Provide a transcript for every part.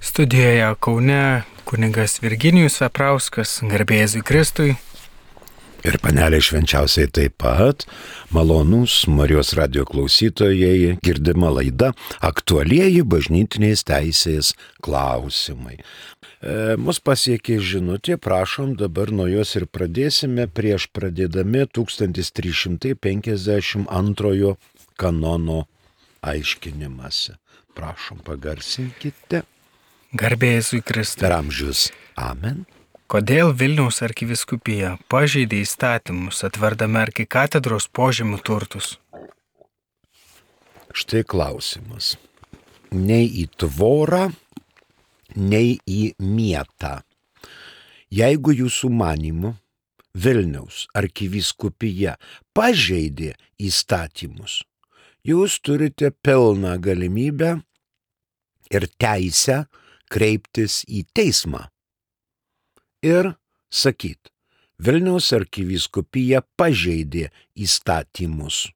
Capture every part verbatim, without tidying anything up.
Studijoje Kaune kunigas Virginijus Veprauskas, garbė Jėzui Kristui. Ir panelė švenčiausiai taip pat, malonūs Marijos radijo klausytojai, girdima laida aktualieji bažnytinės teisės klausimai. E, mus pasiekė žinutė, prašom dabar nuo jos ir pradėsime prieš pradėdami tūkstantis trys šimtai penkiasdešimt antrojo kanono aiškinimąsi. Prašom, pagarsinkite. Garbė Jėzui Kristui. Per amžius. Amen. Kodėl Vilniaus arkivyskupija pažeidė įstatymus, atverdami arkikatedros požemių turtus? Štai klausimas. Nei į tvorą, nei į mietą. Jeigu jūsų manymu Vilniaus arkivyskupija pažeidė įstatymus, jūs turite pilną galimybę ir teisę kreiptis į teismą. Ir sakyt, Vilniaus arkivyskupija pažeidė įstatymus.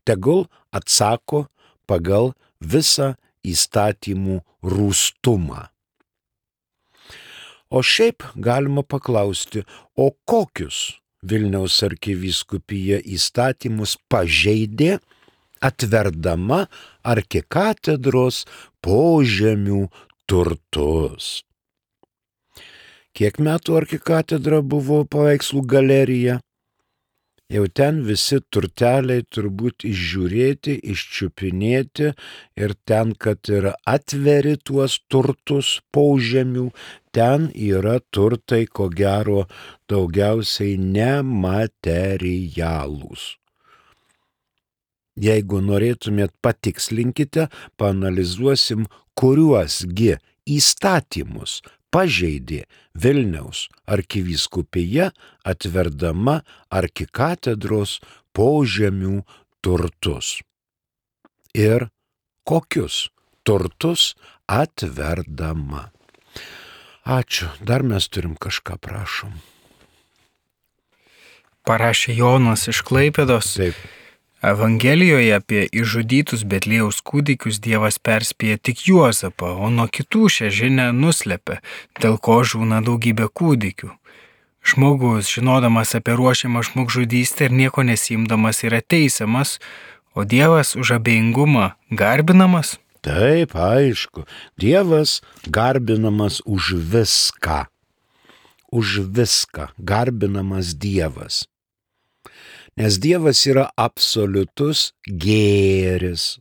Tegul atsako pagal visą įstatymų rūstumą. O šiaip galima paklausti, o kokius Vilniaus arkivyskupija įstatymus pažeidė, atverdama arkikatedros požemių turtus. Kiek metų arkikatedra buvo paveikslų galerija? Jau ten visi turteliai turbūt išžiūrėti, iščiupinėti ir ten, kad ir atveri tuos turtus požemių, ten yra turtai, ko gero, daugiausiai nematerialūs. Jeigu norėtumėt, patikslinkite, paanalizuosim, kuriuosgi įstatymus pažeidė Vilniaus arkivyskupija, atverdama arkikatedros požemių turtus. Ir kokius turtus atverdama. Ačiū, dar mes turim kažką, prašom. Parašė Jonas iš Klaipėdos. Taip. Evangelijoje apie išžudytus Betliejaus kūdikius Dievas perspėja tik Juozapą, o nuo kitų šią žinią nuslepia, dėl ko žūna daugybė kūdikių. Žmogus, žinodamas apie ruošiamą žmogžudystę ir nieko nesiimdamas, yra teisiamas, o Dievas už abejingumą garbinamas? Taip, aišku. Dievas garbinamas už viską. Už viską garbinamas Dievas. Nes Dievas yra absoliutus gėris.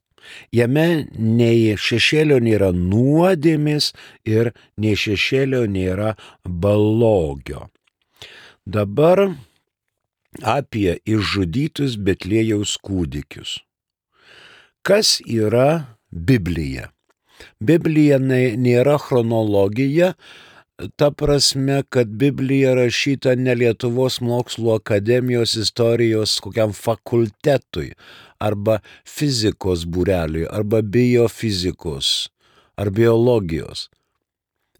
Jame nei šešėlio nėra nuodėmės ir nei šešėlio nėra blogio. Dabar apie išžudytus Betliejaus kūdikius. Kas yra Biblija? Biblija nėra chronologija, ta prasme, kad Biblija rašyta ne Lietuvos mokslų akademijos istorijos kokiam fakultetui, arba fizikos būreliui, arba biofizikos, ar biologijos.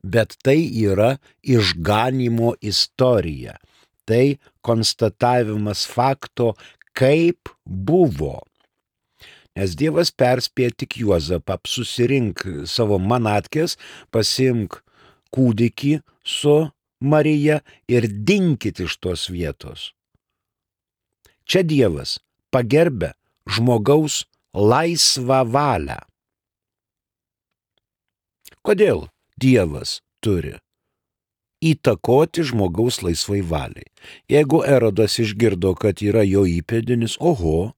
Bet tai yra išganymo istorija. Tai konstatavimas fakto, kaip buvo. Nes Dievas perspėja tik Juozapą, susirink savo manatkes, pasimk kūdikį su Marija ir dinkit iš tos vietos. Čia Dievas pagerbia žmogaus laisvą valią. Kodėl Dievas turi įtakoti žmogaus laisvai valiai? Jeigu Erodas išgirdo, kad yra jo įpėdinis, oho,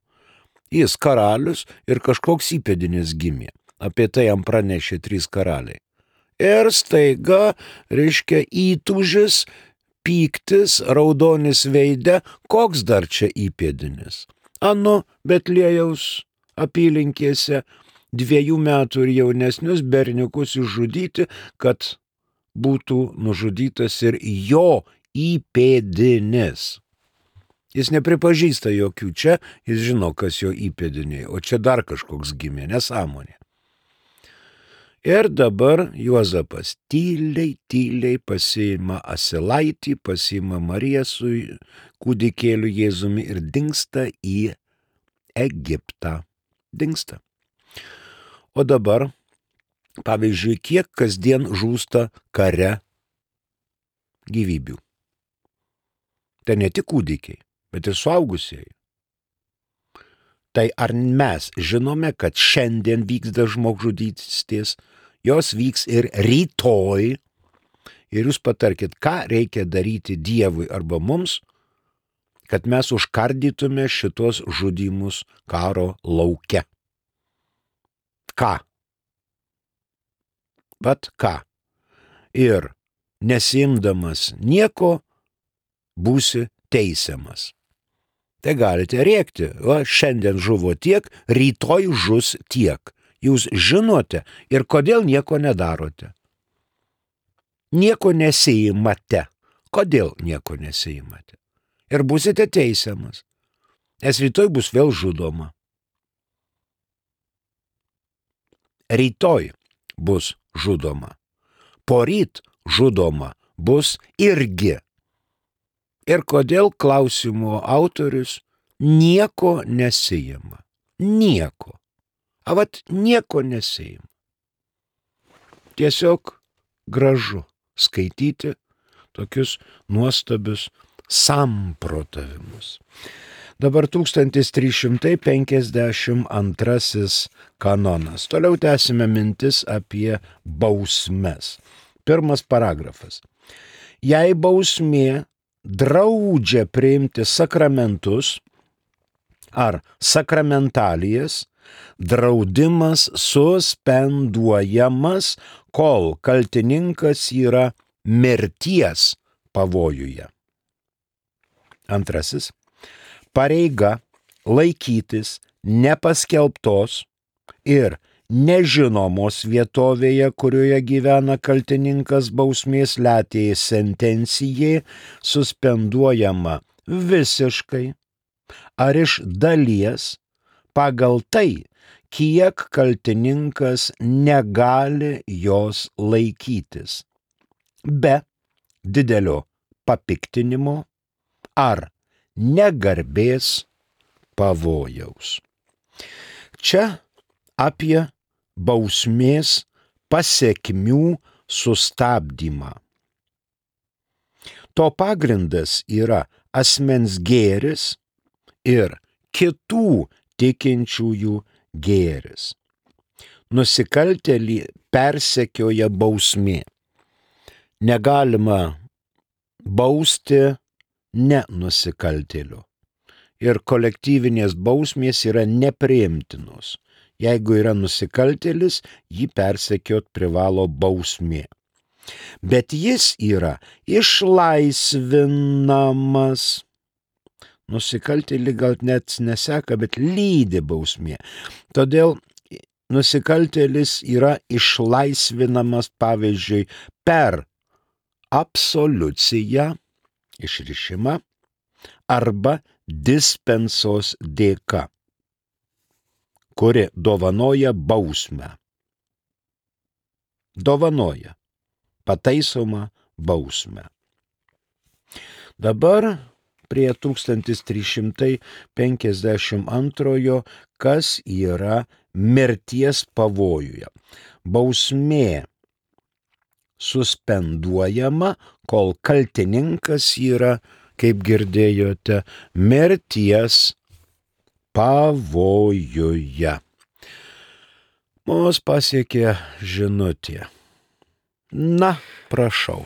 jis karalius ir kažkoks įpėdinis gimė. Apie tai jam pranešė trys karaliai. Ir staiga, reiškia, įtūžis, pyktis, raudonis veide, koks dar čia įpėdinis. Anu Betliejaus apylinkėse dviejų metų ir jaunesnius berniukus išžudyti, kad būtų nužudytas ir jo įpėdinis. Jis nepripažįsta jokių čia, jis žino, kas jo įpėdiniai, o čia dar kažkoks gimė, nesąmonė. Ir dabar Juozapas tyliai, tyliai pasiima asilaitį, pasiima Mariją su kūdikėliu Jėzumi ir dingsta į Egiptą. Dingsta. O dabar Pavyzdžiui, kiek kasdien žūsta kare gyvybių. Tai ne tik kūdikiai, bet ir suaugusieji. Tai ar mes žinome, kad šiandien vyksta žmogžudystės, jos vyks ir rytoj, ir jūs patarkit, ką reikia daryti Dievui arba mums, kad mes užkardytume šitos žudymus karo lauke. Ką? Vat ką? Ir nesiimdamas nieko, būsi teisiamas. Tai galite rėkti, va, šiandien žuvo tiek, rytoj žus tiek. Jūs žinote ir kodėl nieko nedarote. Nieko nesiimate. Kodėl nieko nesiimate? Ir būsite teisiamas, nes rytoj bus vėl žudoma. Rytoj bus žudoma. Poryt žudoma bus irgi. Ir kodėl klausimo autorius nieko nesijima. Nieko. A vat nieko nesijima. Tiesiog gražu skaityti tokius nuostabius samprotavimus. Dabar tūkstantis trys šimtai penkiasdešimt antrasis kanonas. Toliau tęsime mintis apie bausmes. Pirmas paragrafas. Jei bausmė draudžia priimti sakramentus ar sakramentalijas, draudimas suspenduojamas, kol kaltininkas yra mirties pavojuje. Antrasis. Pareiga laikytis nepaskelbtos ir nežinomos vietovėje, kurioje gyvena kaltininkas bausmės letėjai sentencijai, suspenduojama visiškai ar iš dalies pagal tai, kiek kaltininkas negali jos laikytis, be didelio papiktinimo ar negarbės pavojaus. Čia apie bausmės pasekmių sustabdymą. To pagrindas yra asmens gėris ir kitų tikinčiųjų gėris. Nusikaltėlį persekioja bausmė. Negalima bausti ne nusikaltėlių. Ir kolektyvinės bausmės yra nepriimtinos. Jeigu yra nusikaltėlis, jį persekiot privalo bausmė. Bet jis yra išlaisvinamas. Nusikaltėlį gal net neseka, bet lydi bausmė. Todėl nusikaltėlis yra išlaisvinamas, pavyzdžiui, per absoliuciją, išrišimą, arba dispensos dėka, kuri dovanoja bausmę. Dovanoja pataisomą bausmę. Dabar prie tūkstantis trys šimtai penkiasdešimt antrojo, kas yra mirties pavojuje. Bausmė suspenduojama, kol kaltininkas yra, kaip girdėjote, mirties pavojuje. Mus pasiekė žinutė. Na, prašau.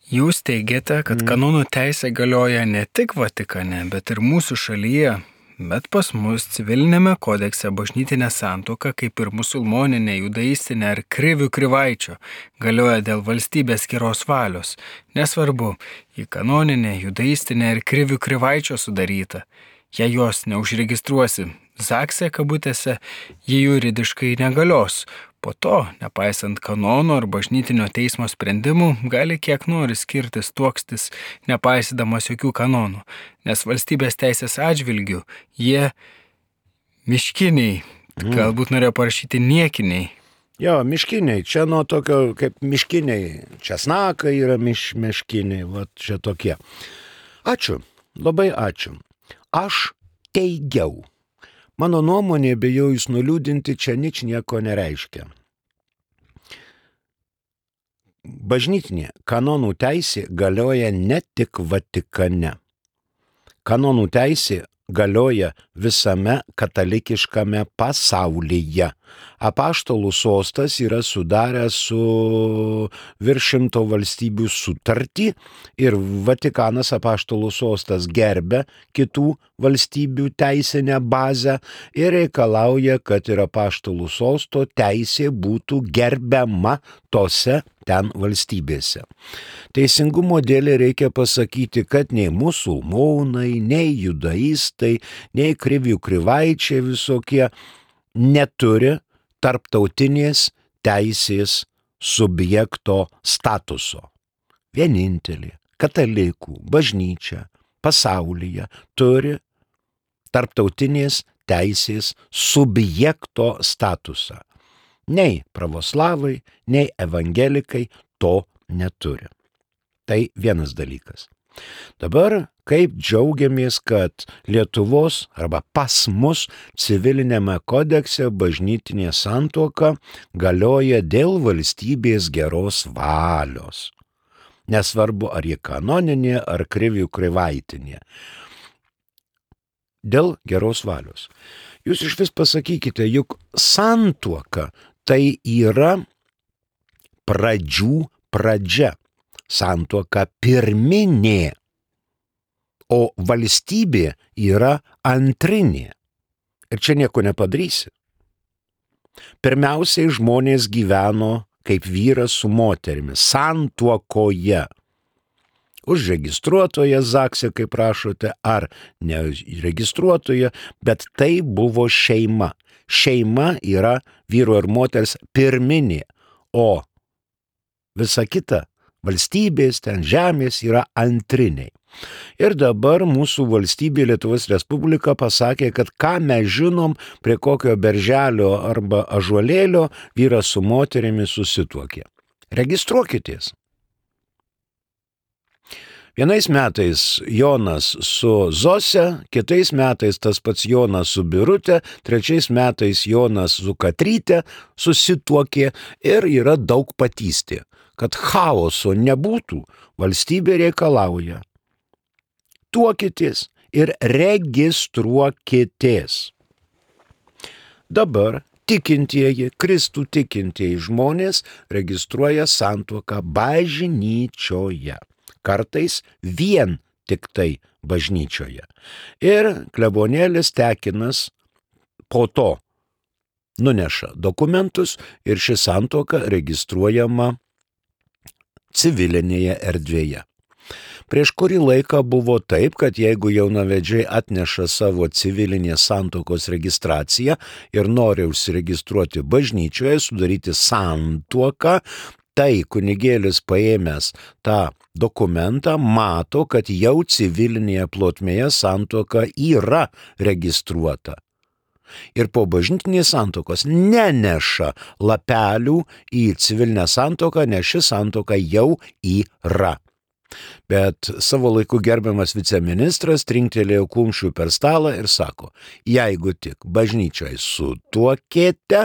Jūs teigiate, kad kanonų teisė galioja ne tik Vatikane, bet ir mūsų šalyje, bet pas mus civilinėme kodekse bažnytinė santuoka, kaip ir musulmoninė, judaistinė ar krivių krivaičio, galioja dėl valstybės geros valios. Nesvarbu, į kanoninę, judaistinę ir krivių krivaičio sudaryta. Jei jos neužregistruosi zakse kabutėse, jie juridiškai negalios. Po to, nepaisant kanono ar bažnytinio teismo sprendimų, gali kiek nori skirtis, tuokstis, nepaisydamas jokių kanonų, nes valstybės teisės atžvilgių jie miškiniai, mm. galbūt norėjo parašyti niekiniai. Jo, miškiniai, čia nuo tokio kaip miškiniai, česnakai yra miš, miškiniai, va čia tokie. Ačiū, labai ačiū. Aš teigiau. Mano nuomonė, bijau jūs nuliūdinti, čia nič nieko nereiškia. Bažnytinė kanonų teisė galioja ne tik Vatikane. Kanonų teisė galioja visame katalikiškame pasaulyje. Apaštalų sostas yra sudaręs su virš šimto valstybių sutartį ir Vatikanas apaštalų sostas gerbia kitų valstybių teisinę bazę ir reikalauja, kad ir apaštalų sosto teisė būtų gerbiama tose ten valstybėse. Teisingumo dėlei reikia pasakyti, kad nei musulmonai, nei judaistai, nei krivių krivaičiai visokie neturi tarptautinės teisės subjekto statuso. Vienintelė katalikų bažnyčia pasaulyje turi tarptautinės teisės subjekto statusą. Nei pravoslavai, nei evangelikai to neturi. Tai vienas dalykas. Dabar kaip džiaugiamės, kad Lietuvos arba pas mus civilinėme kodekse bažnytinė santuoka galioja dėl valstybės geros valios. Nesvarbu, ar ji kanoninė, ar krivių krivaitinė. Dėl geros valios. Jūs iš vis pasakykite, juk santuoka tai yra pradžių pradžia. Santuoka pirminė, o valstybė yra antrinė. Ir čia nieko nepadarysi. Pirmiausiai žmonės gyveno kaip vyras su moterimi, santuokoje. Užregistruotoje Zakse, kaip prašote, ar neregistruotoje, bet tai buvo šeima. Šeima yra vyro ir moters pirminė, o visa kita valstybės, ten žemės yra antriniai. Ir dabar mūsų valstybė Lietuvos Respublika pasakė, kad ką mes žinom, prie kokio berželio arba ąžuolėlio vyras su moterimi susituokė. Registruokitės. Vienais metais Jonas su Zose, kitais metais tas pats Jonas su Birute, trečiais metais Jonas su Katryte susituokė ir yra daug patystė. Kad chaoso nebūtų, valstybė reikalauja. Tuokitės ir registruokitės. Dabar tikintieji, Kristų tikintieji žmonės registruoja santuoką bažnyčioje. Kartais vien tik tai bažnyčioje. Ir klebonėlis Tekinas po to nuneša dokumentus ir ši santuoka registruojama civilinėje erdvėje. Prieš kurį laiką buvo taip, kad jeigu jaunavedžiai atneša savo civilinės santuokos registraciją ir nori užsiregistruoti bažnyčioje, sudaryti santuoką, tai kunigėlis paėmęs tą dokumentą mato, kad jau civilinėje plotmėje santuoka yra registruota. Ir po bažnytinės santuokos neneša lapelių į civilinę santuoką, nes ši santuoka jau yra. Bet savo laiku gerbiamas viceministras trinktelėjo kumščių per stalą ir sako, jeigu tik bažnyčioje sutuokėte,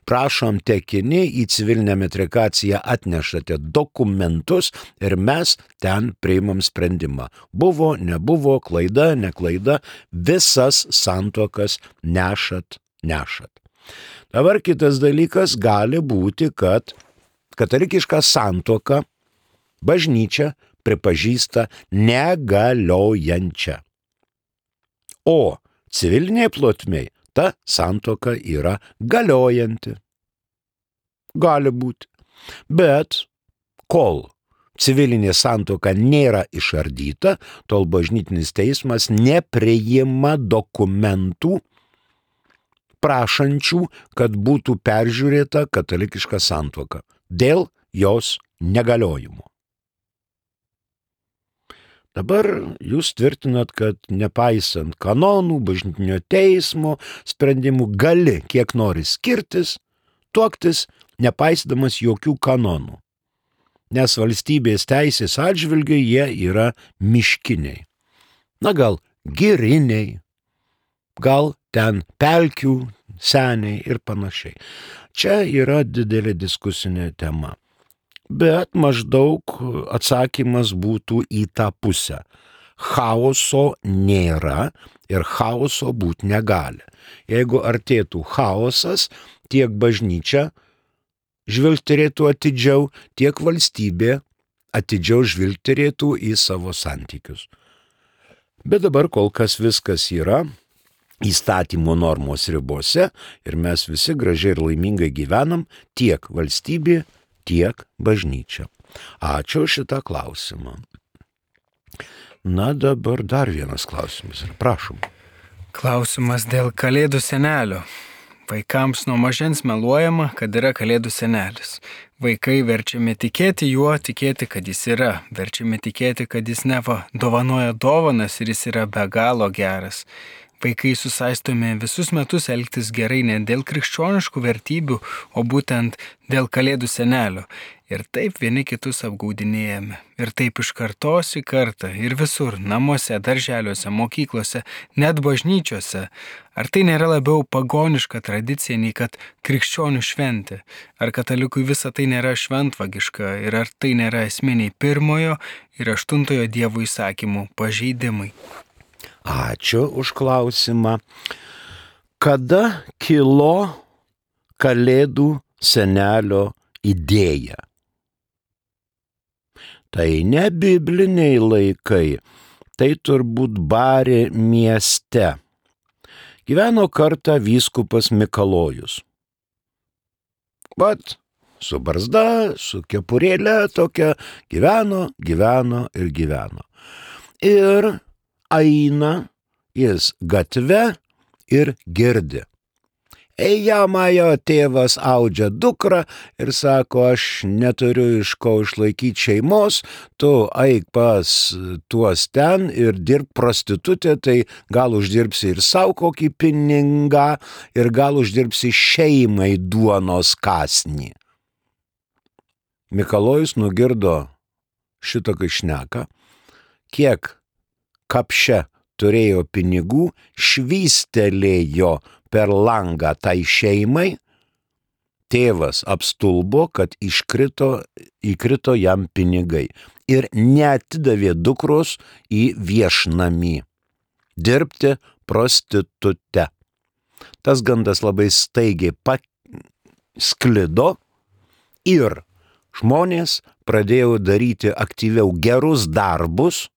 prašom tekini į civilinę metrikaciją atnešate dokumentus ir mes ten priimam sprendimą. Buvo, nebuvo, klaida, neklaida, visas santuokas nešat, nešat. Dabar kitas dalykas gali būti, kad katalikišką santuoką bažnyčia pripažįsta negaliojančią. O civilinėje plotmėje ta santuoka yra galiojanti. Gali būti. Bet kol civilinė santuoka nėra išardyta, tol bažnytinis teismas nepriima dokumentų prašančių, kad būtų peržiūrėta katalikiška santuoka dėl jos negaliojimo. Dabar jūs tvirtinat, kad nepaisant kanonų, bažnytinio teismo sprendimų gali kiek nori skirtis, tuoktis, nepaisydamas jokių kanonų. Nes valstybės teisės atžvilgiu jie yra miškiniai. Na gal giriniai, gal ten pelkių seniai ir panašiai. Čia yra didelė diskusinė tema. bet maždaug atsakymas būtų į tą pusę. Chaoso nėra ir chaoso būti negali. Jeigu artėtų chaosas, tiek bažnyčia žvilgterėtų atidžiau, tiek valstybė atidžiau žvilgterėtų į savo santykius. Bet dabar kol kas viskas yra įstatymo normos ribose ir mes visi gražiai ir laimingai gyvenam, tiek valstybė, tiek bažnyčia. Ačiū šitą klausimą. Na dabar dar vienas klausimas. Prašom. Klausimas dėl kalėdų senelio. Vaikams nuo mažens meluojama, kad yra kalėdų senelis. Vaikai verčiami tikėti juo, tikėti, kad jis yra. Verčiami tikėti, kad jis neva dovanoja dovanas ir jis yra be galo geras. Vaikai susaistomi visus metus elgtis gerai ne dėl krikščioniškų vertybių, o būtent dėl kalėdų senelio. Ir taip vieni kitus apgaudinėjame. Ir taip iš kartos į kartą. Ir visur, namuose, darželiuose, mokyklose, net bažnyčiose. Ar tai nėra labiau pagoniška tradicija, nei kad krikščionių šventė? Ar katalikui visa tai nėra šventvagiška? Ir ar tai nėra esminiai pirmojo ir aštuntojo Dievo įsakymų pažeidimai? Ačiū už klausimą. Kada kilo kalėdų senelio idėja? Tai ne bibliniai laikai, tai turbūt Barė mieste. Gyveno kartą vyskupas Mikalojus. Vat, su barzda, su kepurėle tokia, gyveno, gyveno ir gyveno. Ir eina jis gatve ir girdi. Ejamajo tėvas audžia dukrą ir sako, aš neturiu iš ko išlaikyti šeimos, tu eik pas tuos ten ir dirb prostitutė, tai gal uždirbsi ir savo kokį pinigą ir gal uždirbsi šeimai duonos kąsnį. Mikalojus nugirdo šitokį šneką, kiek kapše turėjo pinigų, švystelėjo per langą tai šeimai, tėvas apstulbo, kad iškrito, įkrito jam pinigai ir neatidavė dukros į viešnamį dirbti prostitute. Tas gandas labai staigiai pasklido ir žmonės pradėjo daryti aktyviau gerus darbus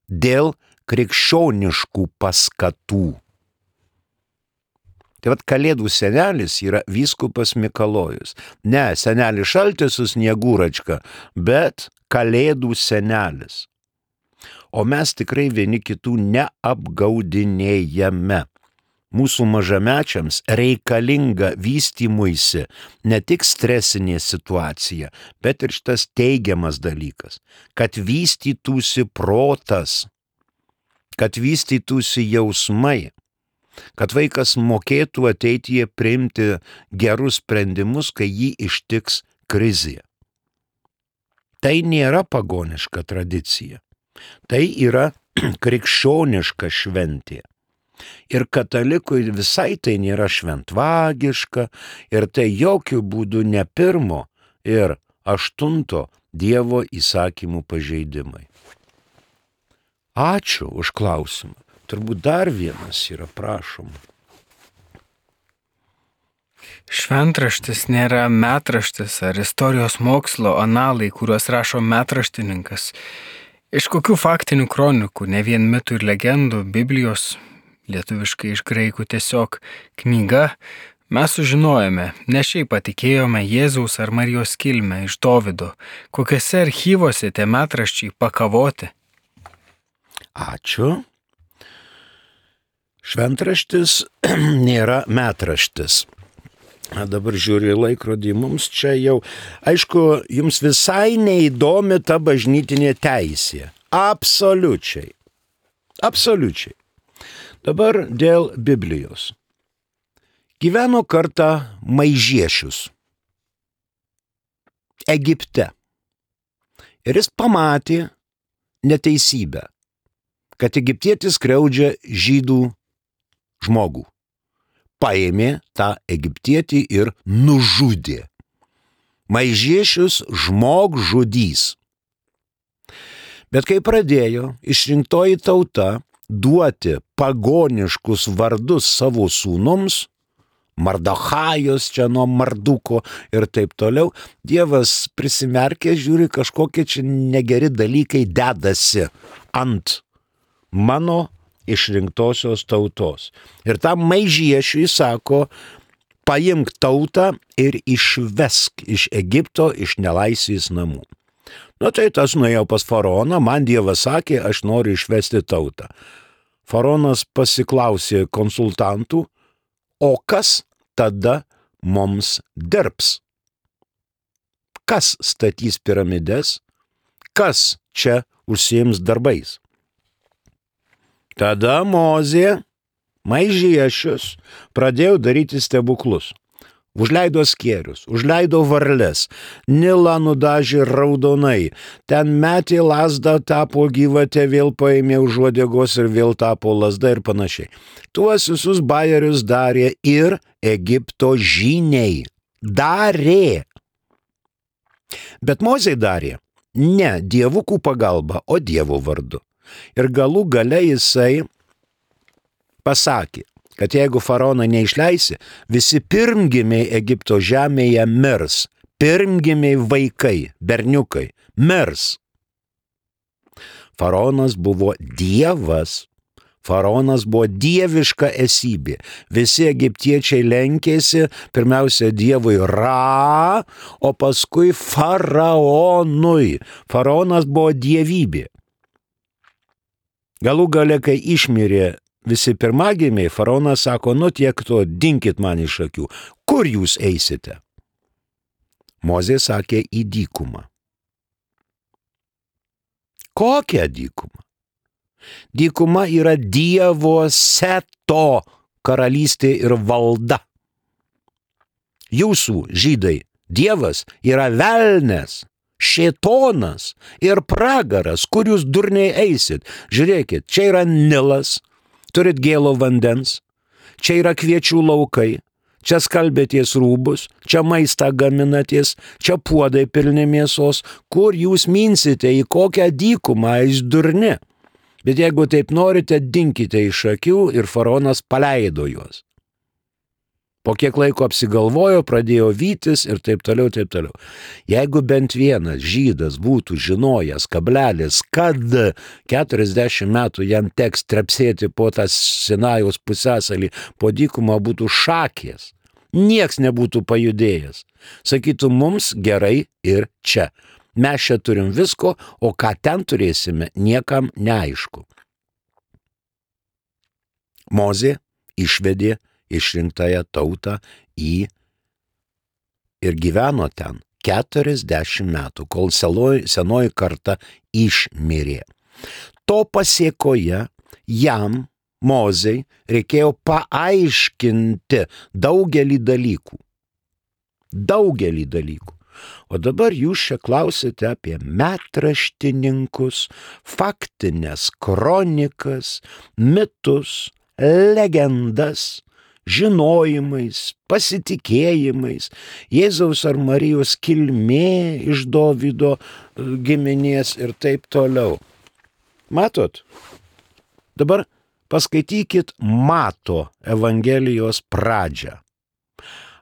dėl krikščioniškų paskatų. Tai vat kalėdų senelis yra vyskupas Mikalojus. Ne senelis Šaltis su Snieguračka, bet kalėdų senelis. O mes tikrai vieni kitų neapgaudinėjame. Mūsų mažamečiams reikalinga vystymuisi ne tik stresinė situacija, bet ir šitas teigiamas dalykas, kad vystytųsi protas, kad vystytųsi jausmai, kad vaikas mokėtų ateityje priimti gerus sprendimus, kai jį ištiks krizė. Tai nėra pagoniška tradicija, tai yra krikščioniška šventė. Ir katalikui visai tai nėra šventvagiška ir tai jokių būdų ne pirmo ir aštunto Dievo įsakymų pažeidimai. Ačiū už klausimą. Turbūt dar vienas yra, prašom. Šventraštis nėra metraštis ar istorijos mokslo analai, kuriuos rašo metraštininkas. Iš kokių faktinių kronikų, ne vien mitų ir legendų, Biblijos, lietuviškai iš graikų tiesiog knyga, mes sužinojome, ne šiaip patikėjome Jėzaus ar Marijos kilmę iš Dovydo, kokiuose archyvuose tie metraščiai pakavoti. Ačiū. Šventraštis nėra metraštis. Dabar žiūriu į laikrodį, mums čia jau, aišku, jums visai neįdomi ta bažnytinė teisė. Absoliučiai. Absoliučiai. Dabar dėl Biblijos. Gyveno kartą Maižiešius Egipte. Ir jis pamatė neteisybę, kad egiptietis skriaudžia žydų žmogų. Paėmė tą egiptietį ir nužudė. Maižiešius žmogžudys. Bet kai pradėjo išrinktoji tauta duoti pagoniškus vardus savo sūnums, Mardochajus čia nuo Marduko ir taip toliau, Dievas prisimerkė, žiūri, kažkokie čia negeri dalykai dedasi ant mano išrinktosios tautos. Ir tam maižiešiui sako, paimk tautą ir išvesk iš Egipto, iš nelaisvės namų. Nu tai tas nuėjo pas faraoną, man Dievas sakė, aš noriu išvesti tautą. Faraonas pasiklausė konsultantų, o kas tada mums dirbs? Kas statys piramides? Kas čia užsiims darbais? Tada Mozė, maižiešius, pradėjo daryti stebuklus. Užleido skėrius, užleido varles, Nilą nudažė raudonai, ten metė lazdą, tapo gyvatė, vėl paėmė už uodegos ir vėl tapo lazda ir panašiai. Tuos visus bajerius darė ir Egipto žyniai. Darė. Bet Mozė darė ne dievukų pagalba, o Dievo vardu. Ir galų gale jisai pasakė, kad jeigu faraoną neišleisi, visi pirmgimiai Egipto žemėje mirs. Pirmgimiai vaikai, berniukai, mirs. Faraonas buvo dievas. Faraonas buvo dieviška esybė. Visi egiptiečiai lenkėsi pirmiausia dievui Ra, o paskui faraonui. Faraonas buvo dievybė. Galų gale, kai išmirė visi pirmagimiai, faraonas sako, nu tiek to, dinkit man iš akių. Kur jūs eisite? Mozė sakė, į dykumą. Kokią dykumą? Dykuma yra Dievo Seto karalystė ir valda. Jūsų, žydai, Dievas yra velnes, šėtonas ir pragaras, kur jūs durniai eisit. Žiūrėkit, čia yra Nilas, turit gėlo vandens, čia yra kviečių laukai, čia skalbėties rūbus, čia maistą gaminaties, čia puodai pilni mėsos, kur jūs minsite, į kokią dykumą eis durni. Bet jeigu taip norite, dinkite iš akių ir faraonas paleido juos. Po kiek laiko apsigalvojo, pradėjo vytis ir taip toliau, taip toliau. Jeigu bent vienas žydas būtų žinojęs, kablelis, kad keturiasdešimt metų jam teks trepsėti po tą Sinajaus pusiasalį, po dykumą būtų šakės, nieks nebūtų pajudėjęs. Sakytų, mums gerai ir čia. Mes čia turim visko, o ką ten turėsime, niekam neaišku. Mozė išvedė išrinktąją tautą į ir gyveno ten keturiasdešimt metų, kol senoji, senoji karta išmirė. To pasėkoje jam, Mozei, reikėjo paaiškinti daugelį dalykų. Daugelį dalykų. O dabar jūs čia klausite apie metraštininkus, faktinės kronikas, mitus, legendas, žinojimais, pasitikėjimais, Jėzaus ar Marijos kilmė iš Dovydo giminės ir taip toliau. Matot? Dabar paskaitykit Mato Evangelijos pradžią.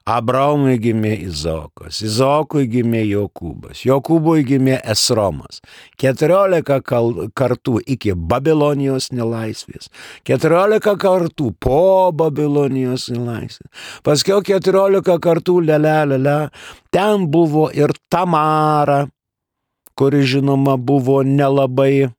Abraomui gimė Izaokas, Izaokui gimė Jokūbas, Jokūbui gimė Esromas, keturiolika kartų iki Babilonijos nelaisvės, keturiolika kartų po Babilonijos nelaisvės, paskiau keturiolika kartų lele, lele, ten buvo ir Tamara, kuri žinoma buvo nelabai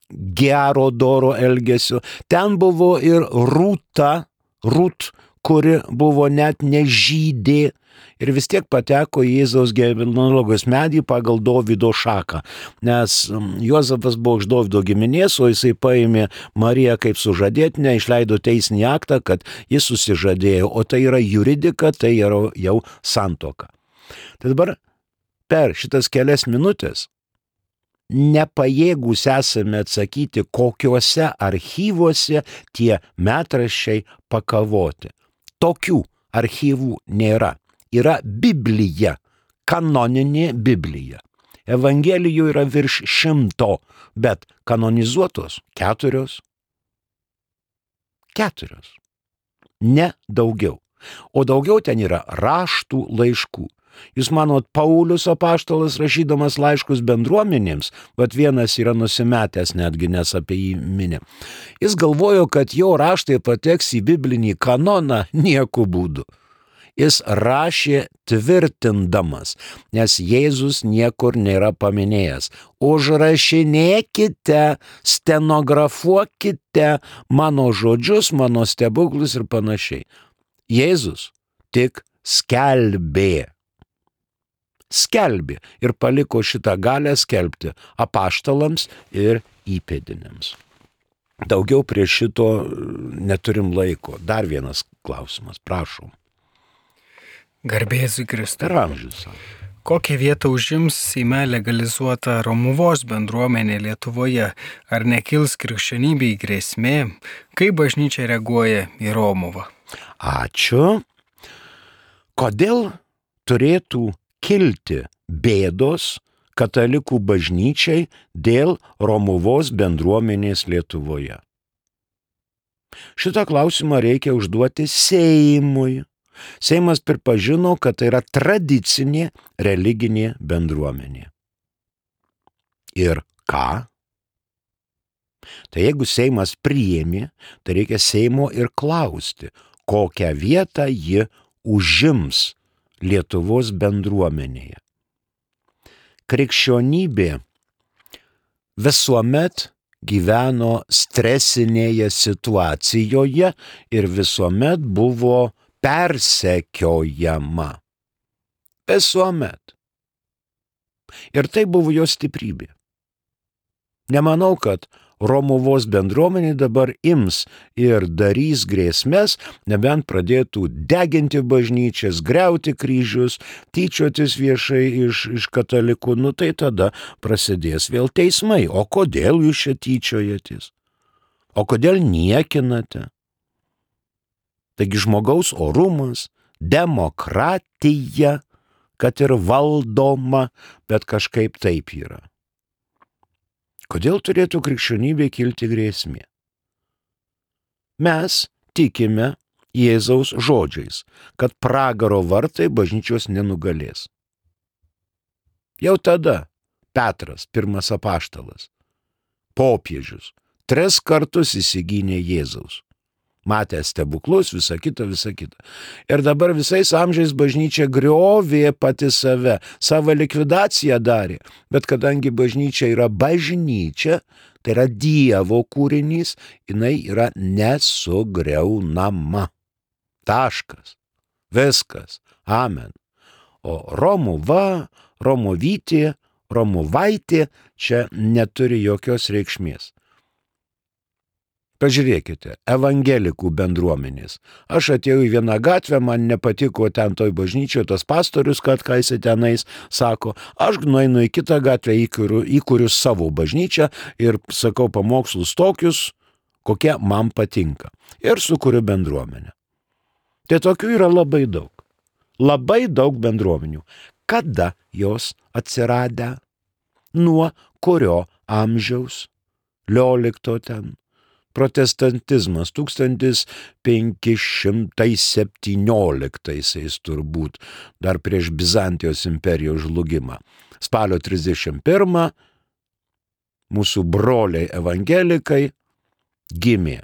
gero doro elgesio, ten buvo ir Rūta, Rūt, kuri buvo net nežydė ir vis tiek pateko į Jėzaus genealogijos medį pagal Dovydo šaką, nes Juozapas buvo iš Dovydo giminės, o jisai paėmė Mariją kaip sužadėtinę, išleido teisinį aktą, kad jis susižadėjo, o tai yra juridika, tai yra jau santuoka. Tai dabar per šitas kelias minutės nepajėgūs esame atsakyti, kokiuose archyvuose tie metraščiai pakavoti. Tokių archyvų nėra. Yra Biblija, kanoninė Biblija. Evangelijų yra virš šimto, bet kanonizuotos keturios. Keturios. Ne daugiau. O daugiau ten yra raštų laiškų. Jūs manot, Paulius apaštalas rašydamas laiškus bendruomenėms, bet vienas yra nusimetęs netgi, nes apie jį minė. Jis galvojo, kad jo raštai pateks į biblinį kanoną nieku būdu. Jis rašė tvirtindamas, nes Jėzus niekur nėra paminėjęs. Užrašinėkite, stenografuokite mano žodžius, mano stebuklus ir panašiai. Jėzus tik skelbė. Skelbė ir paliko šitą galę skelbti apaštalams ir įpėdiniams. Daugiau prie šito neturim laiko. Dar vienas klausimas, prašom. Garbėzui Kristui. Per amžius. Kokią vietą užims Seime legalizuota Romuvos bendruomenė Lietuvoje? Ar nekils krikščionybei grėsmė? Kaip bažnyčia reaguoja į Romuvą? Ačiū. Kodėl turėtų kilti bėdos katalikų bažnyčiai dėl Romuvos bendruomenės Lietuvoje? Šitą klausimą reikia užduoti Seimui. Seimas pripažino, kad tai yra tradicinė religinė bendruomenė. Ir ką? Tai jeigu Seimas priėmė, tai reikia Seimo ir klausti, kokią vietą ji užims Lietuvos bendruomenėje. Krikščionybė visuomet gyveno stresinėje situacijoje ir visuomet buvo persekiojama. Visuomet. Ir tai buvo jos stiprybė. Nemanau, kad Romuvos bendruomenė dabar ims ir darys grėsmes, nebent pradėtų deginti bažnyčias, griauti kryžius, tyčiotis viešai iš, iš katalikų, nu tai tada prasidės vėl teismai. O kodėl jūs čia tyčiojatės? O kodėl niekinate? Taigi žmogaus orumas, demokratija, kad ir valdoma, bet kažkaip taip yra. Kodėl turėtų krikščionybė kilti grėsmė? Mes tikime Jėzaus žodžiais, kad pragaro vartai bažnyčios nenugalės. Jau tada Petras, pirmas apaštalas, popiežius, tris kartus įsigynė Jėzaus. Matė stebuklus, visa kita, visa kita. Ir dabar visais amžiais bažnyčia griovė pati save, savo likvidaciją darė. Bet kadangi bažnyčia yra bažnyčia, tai yra Dievo kūrinys, jinai yra nesugriaunama. Taškas. Viskas. Amen. O Romuva, Romuvytė, Romuvaitė čia neturi jokios reikšmės. Pažiūrėkite, evangelikų bendruomenės. Aš atėjau į vieną gatvę, man nepatiko ten toj bažnyčioje tas pastorius, kad ką jis tenais sako. Aš nueinu į kitą gatvę, įkuriu, įkuriu savo bažnyčią ir sakau pamokslus tokius, kokie man patinka. Ir sukuriu bendruomenę. Tai tokių yra labai daug. Labai daug bendruomenių. Kada jos atsiradę? Nuo kurio amžiaus? Liolikto ten. Protestantizmas tūkstantis penki šimtai septynioliktaisiais turbūt, dar prieš Bizantijos imperijos žlugimą. Spalio trisdešimt pirmą mūsų broliai evangelikai gimė.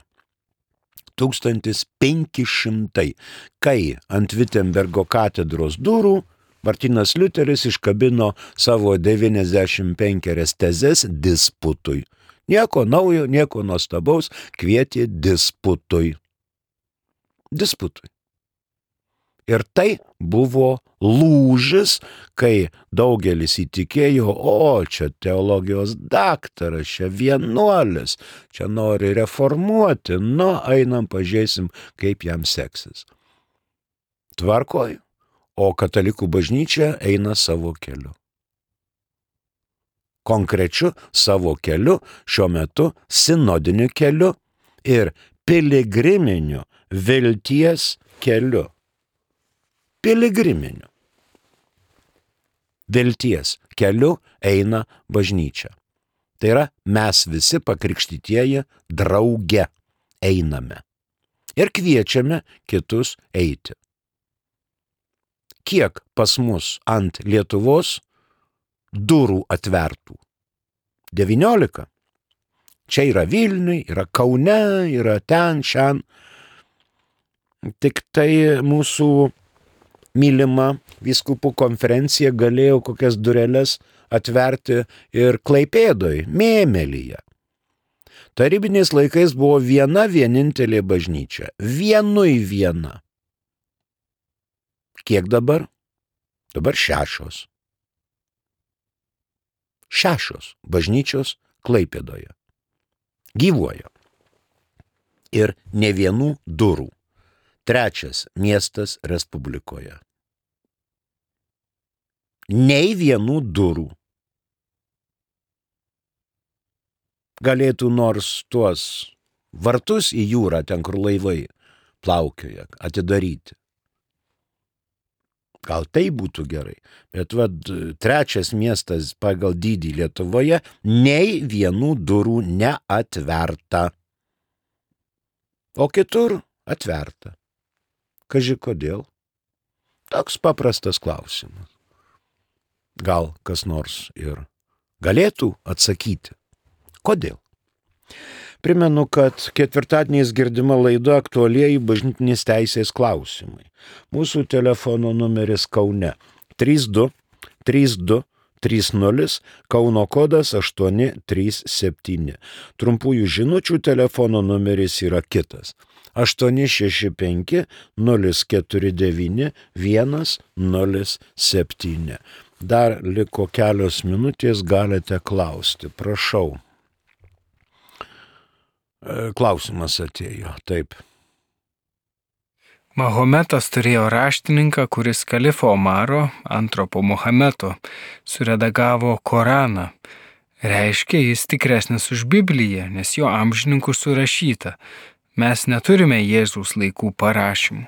tūkstantis penki šimtai, kai ant Vitembergo katedros durų Martynas Liuteris iškabino savo devyniasdešimt penkias tezes disputui. Nieko naujo, nieko nuostabaus, kvietė disputui. Disputui. Ir tai buvo lūžis, kai daugelis įtikėjo, o čia teologijos daktaras, čia vienuolis, čia nori reformuoti, nu, einam pažiūrėsim, kaip jam seksis. Tvarkoj, o katalikų bažnyčia eina savo keliu. Konkrečiu savo keliu, šiuo metu sinodiniu keliu ir piligriminiu vilties keliu. Piligriminiu. vilties keliu eina bažnyčia. Tai yra, mes visi pakrikštytieji drauge einame ir kviečiame kitus eiti. Kiek pas mus ant Lietuvos durų atvertų? devyniolika. Čia yra Vilniui, yra Kaune, yra ten, šian. Tik tai mūsų mylima vyskupų konferencija galėjo kokias dureles atverti ir Klaipėdoj, Mėmelyje. Tarybiniais laikais buvo viena vienintelė bažnyčia. Vienui viena. Kiek dabar? Dabar šešios. Šešios bažnyčios Klaipėdoje. Gyvuoja. Ir ne vienų durų. Trečias miestas Respublikoje. Nei vienų durų. Galėtų nors tuos vartus į jūrą, ten kur laivai plaukioja, atidaryti. Gal tai būtų gerai, bet vad trečias miestas pagal dydį Lietuvoje nei vienų durų neatverta. O kitur atverta. Kaži kodėl? Toks paprastas klausimas. Gal kas nors ir galėtų atsakyti. Kodėl? Primenu, kad ketvirtadieniais girdima laida aktualieji bažnytinės teisės klausimai. Mūsų telefono numeris Kaune trys du trys du trys nulis, Kauno kodas aštuoni trys septyni. Trumpųjų žinučių telefono numeris yra kitas aštuoni šeši penki nulis keturi devyni vienas nulis septyni. Dar liko kelios minutės, galite klausti. Prašau. Klausimas atėjo, taip. Mahometas turėjo raštininką, kuris kalifo Omaro, antro po Muhameto, suredagavo Koraną. Reiškia, jis tikresnis už Bibliją, nes jo amžininkų surašyta. Mes neturime Jėzaus laikų parašymų.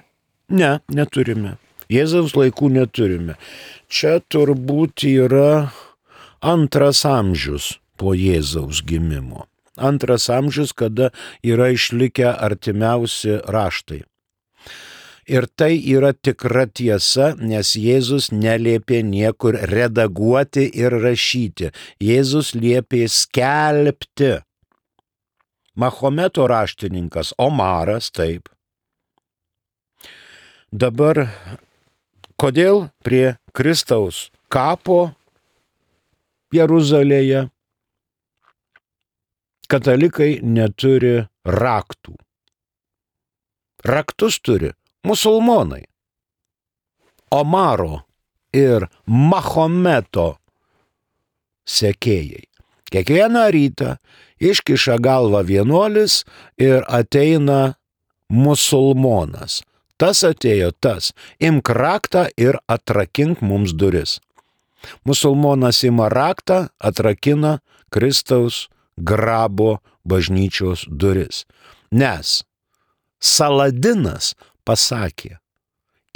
Ne, neturime. Jėzaus laikų neturime. Čia turbūt yra antras amžius po Jėzaus gimimo. Antras amžius, kada yra išlikę artimiausi raštai. Ir tai yra tikra tiesa, nes Jėzus neliepė niekur redaguoti ir rašyti. Jėzus liepė skelbti. Mahometo raštininkas Omaras, taip. Dabar, kodėl prie Kristaus kapo Jeruzalėje katalikai neturi raktų? Raktus turi musulmonai. Omaro ir Mahometo sekėjai. Kiekvieną rytą iškiša galvą vienuolis ir ateina musulmonas. Tas atėjo tas. Imk raktą ir atrakink mums duris. Musulmonas ima raktą, atrakina Kristaus grabo bažnyčios duris. Nes Saladinas pasakė,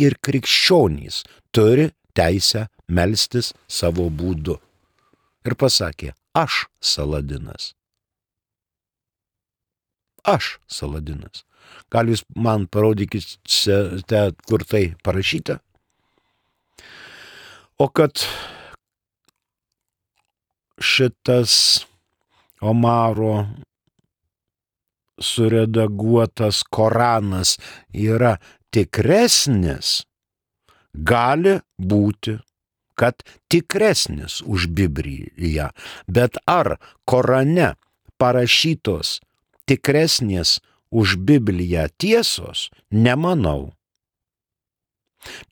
ir krikščionys turi teisę melstis savo būdu. Ir pasakė, aš Saladinas. Aš Saladinas. Gal jūs man parodykite, kur tai parašyta? O kad šitas Omaro suredaguotas Koranas yra tikresnis, gali būti, kad tikresnis už Bibliją. Bet ar Korane parašytos tikresnės už Bibliją tiesos? Nemanau.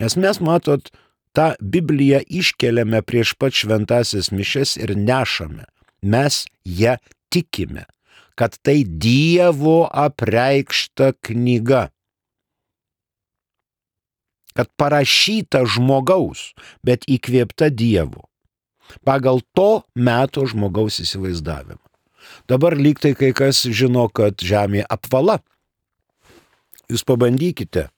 Nes mes, matot, tą Bibliją iškeliame prieš pat šventąsias mišias ir nešame. Mes ją tikime, kad tai Dievo apreikšta knyga. Kad parašyta žmogaus, bet įkvėpta Dievo. Pagal to meto žmogaus įsivaizdavimą. Dabar lyg tai kai kas žino, kad žemė apvala. Jūs pabandykite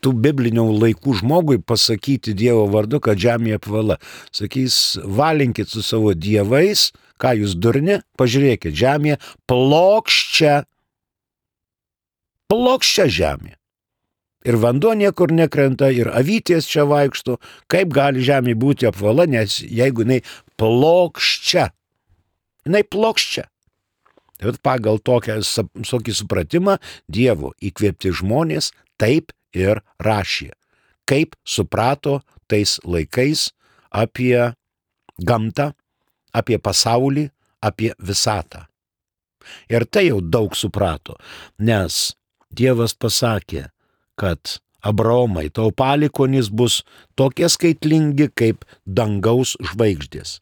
tų biblinių laikų žmogui pasakyti Dievo vardu, kad žemė apvala. Sakys, valinkit su savo dievais, ką jūs durni, pažiūrėkit, žemė plokščia. Plokščia žemė. Ir vanduo niekur nekrenta, ir avytės čia vaikšto. Kaip gali žemė būti apvala, nes jeigu jinai plokščia. Jinai plokščia. Tai pagal tokią, tokį supratimą Dievo įkvėpti žmonės taip ir rašė. Kaip suprato tais laikais apie gamtą, apie pasaulį, apie visatą. Ir tai jau daug suprato, nes Dievas pasakė, kad Abraomai, tau palikuonys bus tokie skaitlingi kaip dangaus žvaigždės.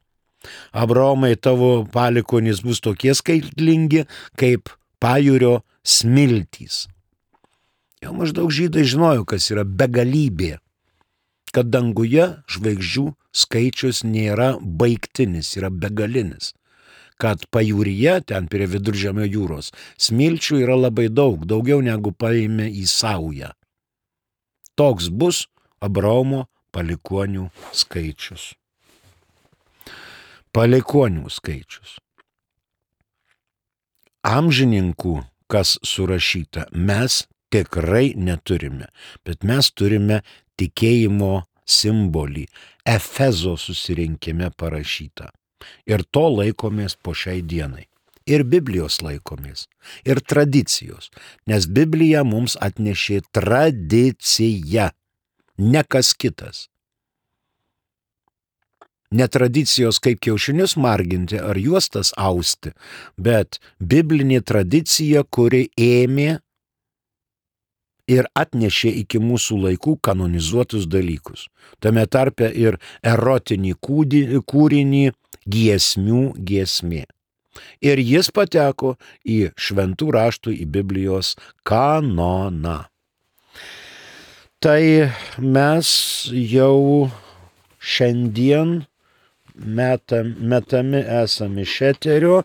Abraomai, tavo palikuonys bus tokie skaitlingi kaip pajūrio smiltys. Jau maždaug žydai žinojo, kas yra begalybė, kad danguje žvaigždžių skaičius nėra baigtinis, yra begalinis. Kad pajūryje, ten prie Viduržemio jūros, smilčių yra labai daug, daugiau negu paėmė į saują. Toks bus Abraomo palikuonių skaičius. Palikuonių skaičius. Amžininkų, kas surašyta, mes tikrai neturime, bet mes turime tikėjimo simbolį, Efezo susirinkime parašytą. Ir to laikomės po šiai dienai. Ir Biblijos laikomės. Ir tradicijos. Nes Biblija mums atnešė tradiciją, ne kas kitas. Ne tradicijos kaip kiaušinius marginti ar juostas austi, bet biblinė tradicija, kuri ėmė ir atnešė iki mūsų laikų kanonizuotus dalykus. Tame tarpe ir erotinį kūrinį giesmių giesmė. Ir jis pateko į šventų raštų, į Biblijos kanoną. Tai mes jau šiandien metam, metami esame iš eterio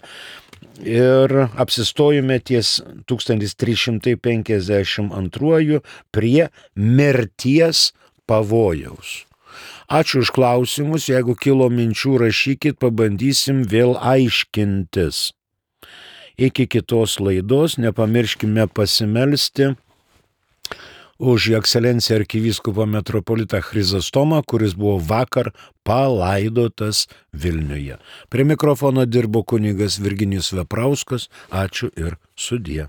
ir apsistojome ties tūkstantis trys šimtai penkiasdešimt antruoju prie mirties pavojaus. Ačiū už klausimus, jeigu kilo minčių, rašykit, pabandysim vėl aiškintis. Iki kitos laidos nepamirškime pasimelsti už jo ekscelenciją arkivyskupą metropolitą Chrizostomą, kuris buvo vakar palaidotas Vilniuje. Prie mikrofono dirbo kunigas Virginijus Veprauskas. Ačiū ir sudie.